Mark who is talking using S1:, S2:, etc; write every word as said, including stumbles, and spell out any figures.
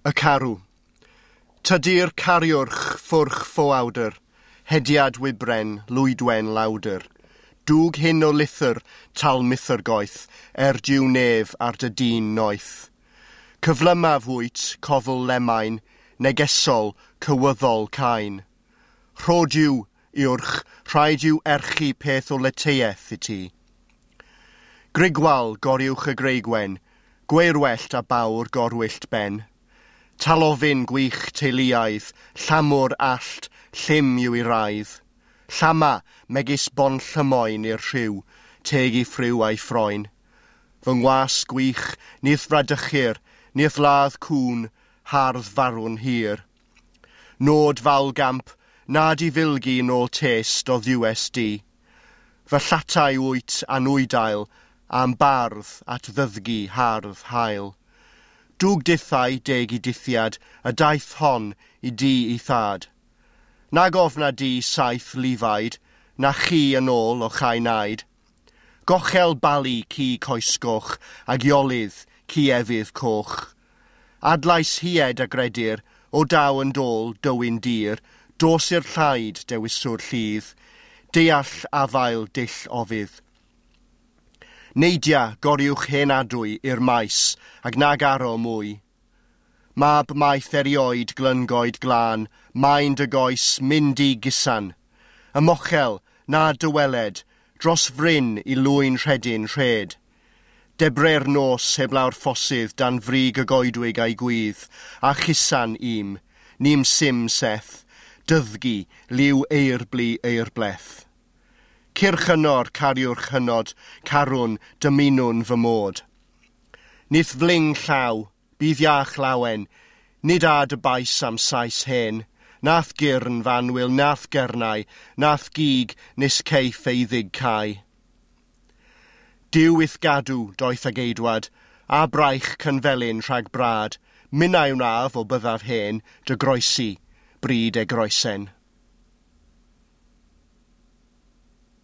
S1: Y carw. Tydi'r cariwrch ffwrch ffoawdr, hediad wybren, lwydwen lawdr. Dwg hyn o lithr, tal mithrgoeth, er diw nef ar dy dyn noeth. Cyflymaf wyt, cofl lemain, negesol, cywyddol cain. Rhod yw, iwrch, rhaid yw erchi peth o leteiaeth i ti. Grigwal goriwch y greigwen, gweirwellt a bawr gorwyllt ben. Talofyn gwych teuluaidd, llamwr allt, llym yw i raidd. Llama, megis bon llymoen i'r rhyw, teg i ffryw a'i ffroen. Fy ngwas gwych, nith fradychir, nith ladd cŵn, hardd farw'n hir. Nod fawl gamp, nad i filgi nôl test o ddiwes di. Fy llatau wyt anwydail, am bardd at ddyddgu hardd hael. Dwg dithau deg i dithiad, y daith hon i di i thad. Nag ofna di saith lifaid, na chi yn ôl o chau naid. Gochel balu ci coesgoch, ag iolydd ci efydd coch. Adlais hied a gredir, o daw yn dôl dywyn dir, dos i'r llaid dewiswr lludd, deall afael dull ofydd. Neidia goriwch hen adwy i'r maes, ag nag aro mwy. Mab maeth erioed glyngoed glân, maen dy goes mynd i gusan. Ymochel, na dyweled, dros fryn i lwyn rhedyn rhed. Debre'r nos heblaw'r ffosydd dan frig y goedwig a'i gwydd, a chusan im, nim sim seth, dyddgu, liw eirblu eirbleth. Cyrch hynor, cariwrch hynod, carwn, dymunwn fy mod. Nith fling llaw, bydd iach lawen, nid a dy bais am sais hen, nath gyrn fanwyl, nath gernau, nath gig nes ceiff ei ddig cae. Duw i'th gadw, doeth ag eidwad, a braich cynfelyn rhag brad, minnau wnaf o byddaf hen, dy groesi, bryd e groesen.